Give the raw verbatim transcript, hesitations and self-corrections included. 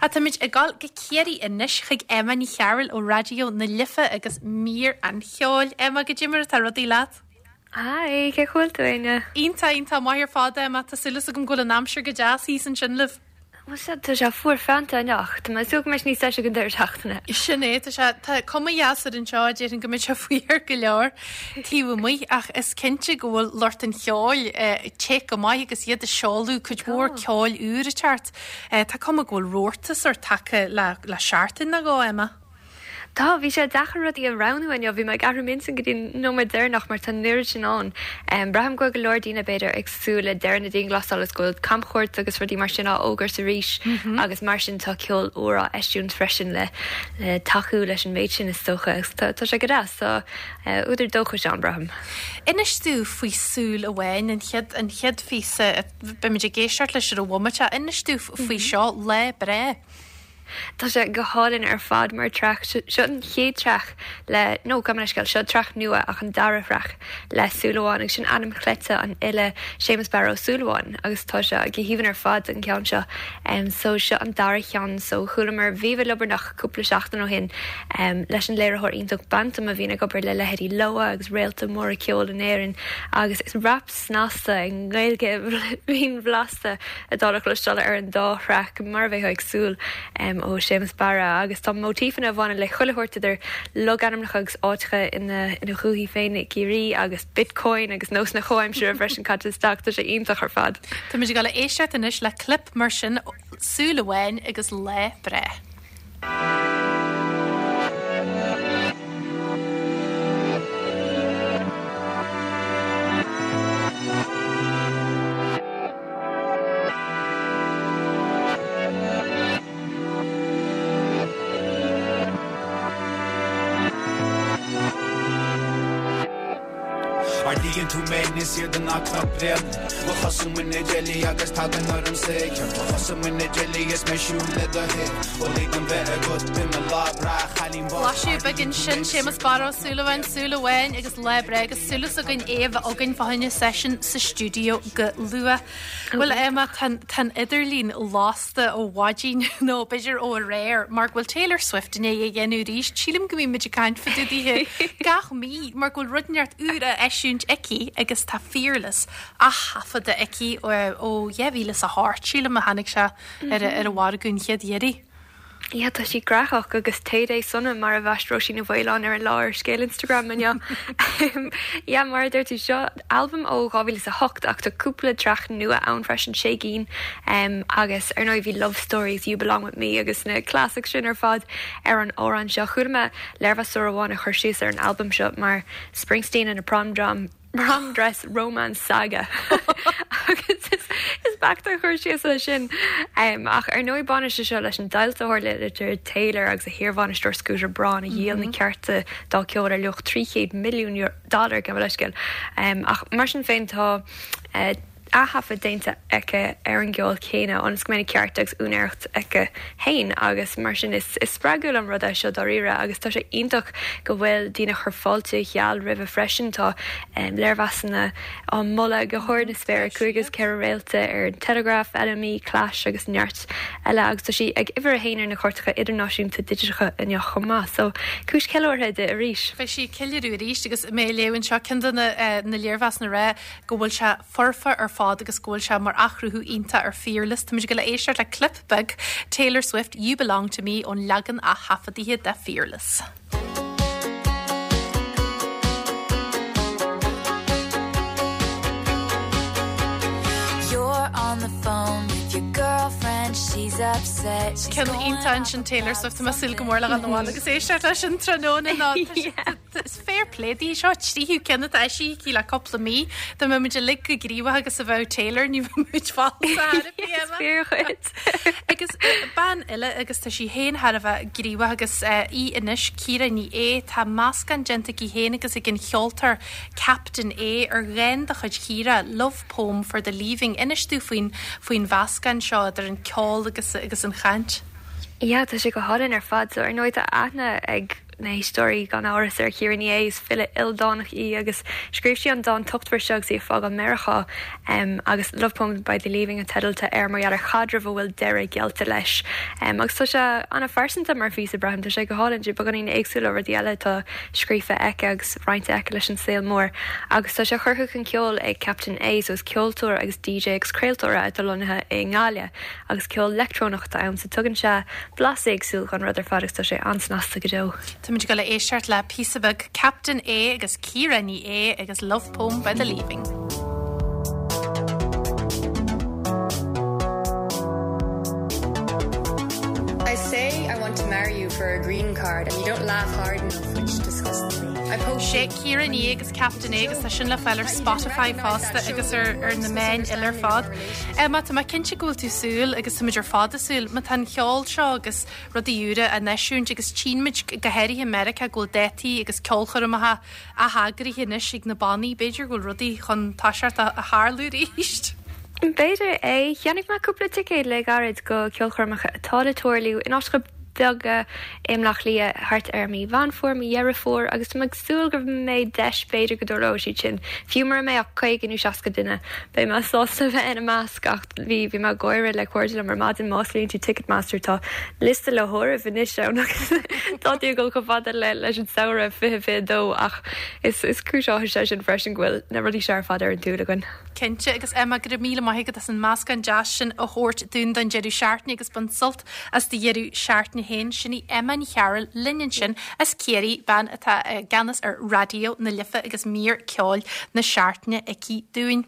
Ach táimid ag dul go Ciarraí anois chuig Emma Ní Chearúil ó Raidió na Life agus mír an cheoil. Emma, goidé mar atá rudaí leat? Hi, cén chaoi a bhfuil tú, Áine? Iontach, iontach maith ar fad, Emma, tá súil agam go bhfuil an aimsir go deas thíos ansin libh. Bhuel sea, tá sé fuar feannta anocht, tá mé ag súil go mbeidh sé níos deise ag an deireadh seachtaine. Sin é, tá sé, tá cuma dheas air anseo, déarfainn go mbeidh sé fuar go leor taobh amuigh ach is cinnte go bhfuil lucht an cheoil te go maith agus iad ag seoladh cuid mhór ceoil úr ag teacht. Tá cuma go bhfuil rabharta sórt tagtha le le seachtain nó dhó, Emma. Tá, bhí sé deacair rudaí a roghnú inniu, bhí mé ag athrú m'intinn go dtí an nóiméad deireanach mar tá an oiread sin ann. Braithim go bhfuil go leor daoine b'fhéidir ag súil le deireadh na dianghlasála is go bhfuil camchuairt agus rudaí mar sin á fhógairt arís agus mar sin tá ceol úr á eisiúint freisin le le tacú leis an méid sin is dócha agus tá tá sé go deas, tá údar dóchais ann braithim. Inis domh faoi Súil Amháin, an chéad an chéad phíosa, beimid ag éisteacht leis ar an bhomaite, inis domh faoi seo, Lá Breá. Tá sé go hálainn ar fad mar traic. Seo an chéad traic le, nó gabh mo leithscéal, seo traic nua ach an dara thraic le Súil Amháin agus sin ainm cleite an fhile Séamus Barra Ó Súilleabháin agus tá sé go haoibhinn ar fad an ceann seo. So seo an dara cheann so chualamar Viva Liobarnach cúpla seachtain ó shin leis an léiritheoir iontach Bantum a bhíonn ag obair le leithéidí Loah agus réalta móra ceoil in Éirinn agus is rap snasta i nGaeilge bhinn bhlasta atá le cloisteáil ar an dá thraic mar a bheifeá ag súil ó Séamus Barra agus tá móitífeanna a bhaineann le chuile shórt idir logainmneacha agus áiteacha ina ina dhúthaigh féin i gCiarraí agus Bitcoin agus nósanna comhaimseartha freisin caite isteach, tá sé iontach ar fad. Táimid ag dul a éisteacht anois le clip mar sin, Súil Amháin agus Lá Breá. Ardaíonn tú mé níos airde ná cnoc Bréanainn Mo chosa amuigh na deilí agus tagann orm saothar Mo chosa amuigh na deilí is mé siúl le do thaobh Ó lig dom bheith agat i mo lá breá chailín bocht Blaiseadh beag ansin, Séamus Barra Ó Súilleabháin, Súil Amháin agus Lá Breá agus súil againn é a bheith againn fá choinne seisiún sa stiúideo go luath. Bhuel Emma, tá an idirlíon lasta ó mhaidin nó b'fhéidir ó aréir mar go bhfuil Taylor Swift i ndiaidh a dhéanamh arís. Sílim go mbíonn muid ag caint fá dtaobh dithe gach mí mar go bhfuil rud inteacht úr á eisiúint aici agus tá Fearless á thaifeadadh aici ó dhá mhíle is a hocht, sílim a tháinig sé ar ar an mhargadh an chéad iarraidh. Yeah, tá sí gnóthach agus Tay Day sona mar a bhaist Róisín Ní Mhaoláin ar an lá ar scéal Instagram inniu. Yeah, mar a deir tú, seo albam ó dhá mhíle is a hocht ach tá cúpla traic nua ann freisin, sé gcinn, agus ar ndóigh bhí Love Stories, You Belong With Me agus na classics sin ar fad ar an amhrán seo. Chuala mé léirmheastóir amháin ag cur síos ar an albam seo mar Springsteen in a prom dram prom dress romance saga agus is is beacht an cur síos é sin. Um, ach ar ndóigh baineann sé seo leis an deighilt a tharla idir Taylor agus a hiarbhainisteoir Scooter Braun a dhíol na cearta dá ceol ar luach trí chéad milliún dollar gabh mo leithscéal. Um, ach mar sin féin tá uh, aththaifead déanta aici ar an gceol céanna ionas go mbeidh na cearta agus úinéireacht aici féin agus mar sin is is spreagúil an rud é seo dáiríre agus tá sé iontach go bhfuil daoine ag cur fáilte gheal roimhe freisin. Tá léirmheasanna á moladh go hard na spéire, cúig agus ceithre réalta ar an Telegraph, N M E, Clash agus neart eile agus tá sí ag uimhir a haon ar na cairteacha idirnáisiúnta digiteacha inniu chomh maith. So cúis ceiliúrtha di arís. Beidh sí ag ceiliúradh arís agus mé ag léamh anseo ceann de na léirmheasanna ag rá go bhfuil sé foirfe ar fad agus go bhfuil sé mar athchruthú iontach ar Fearless. Táimid ag dul a éisteacht le clip beag Taylor Swift, You Belong to Me ón leagan aththaifeadta de Fearless. You're on the phone with your girlfriend, she's upset. She's Ceann iontach ansin Taylor Swift, tá mé ag súil go mór le dhul abhaile agus éisteacht leis an tráthnóna ná Is fair play di seo tríú ceann atá eisithe aici le cúpla mí. Dá mbeadh muid uilig chomh gníomhach agus a bheadh Taylor ní bheadh muid falsa Is fíor dhuit. Agus bean eile agus tá sí féin thar a bheith gníomhach agus í anois Ciara Ní É tá meascán déanta aici féin agus ag an cheoltóir Captain A ar dhán de chuid Chiara, Love Poem for the Leaving. Inis domh faoin faoin mheascán seo idir an ceol agus agus an chaint. Yeah, tá sé go hálainn ar fad, so ar ndóigh tá aithne ag na héisteoirí gan amhras ar Ciara Ní É is file ildánach í agus scríobh sí an dán tochtmhar seo agus í ag fágáil Meiriceá um, agus Love Poem by the Leaving an teideal atá air mar gheall ar chaidreamh a bhfuil deireadh geallta leis. Um, agus tá sé an-phearsanta mar phíosa braithim tá sé go hálainn beagáinín éagsúil ó rudaí eile atá scríofa aici agus roinnte aici leis an saol mór. Agus tá sé curtha chun ceoil ag Captain A so is ceoltóir agus DJ agus craoltóir atá lonnaithe i nGaillimh agus ceol leictreonach atá ann so tugann sé blas éagsúil don rud ar fad agus tá sé an-snasta go deo. Táimid ag dul a éisteacht le píosa beag Captain A agus Ciara Ní É agus Love Poem by the Leaving. I say I want to marry you for a green card and you don't laugh hard enough, which disgusts me. I post Sé Ciara Ní É agus Captain A agus tá sin le fáil ar Spotify fosta agus ar ar na meáin eile ar fad. Emma tá mé cinnte go bhfuil tú ag súil agus táimid ar fad ag súil, má tá an ceol seo agus rudaí úra á n-eisiúint agus tchímid go háirithe i Meiriceá go bhfuil dátaí agus ceolchoirmeacha á n-eagrú anois ag na bannaí, b'fhéidir go bhfuil rudaí chun toiseacht a tharlú arís. B'fhéidir é cheannaigh mé cúpla ticéad le gairid go ceolchoirmeacha atá le tarlú in áiteacha beaga i mBleá Cliath thart ar mí Mheán Fómhair, mí Dheireadh Fómhair agus tá mé ag súil go mbeidh deis b'fhéidir go dtarlóidh siad sin. Fiú mura mbeidh ach caoga nó seasca duine. Beidh mé sásta bheith ina measc ach bhí bhí mé ag gáire le cairde liom ar maidin má osclaíonn tú Ticketmaster tá liosta le háireamh anois ann agus tá tú ag dul chomh fada le leis an samhradh fiche fiche dó ach is is cúis áthais é sin freisin go bhfuil na rudaí seo ar fad ar an tsúil againn. Cinnte agus Emma go raibh míle maith agat as an meascán deas sin a thabhairt dúinn don deireadh seachtaine agus bain sult as do dheireadh seachtaine féin sin í Emma Ní Chearúil linn ansin as Ciarraí bean atá i gceannas ar Raidió na Life agus mír ceoil na seachtaine aici dúinn.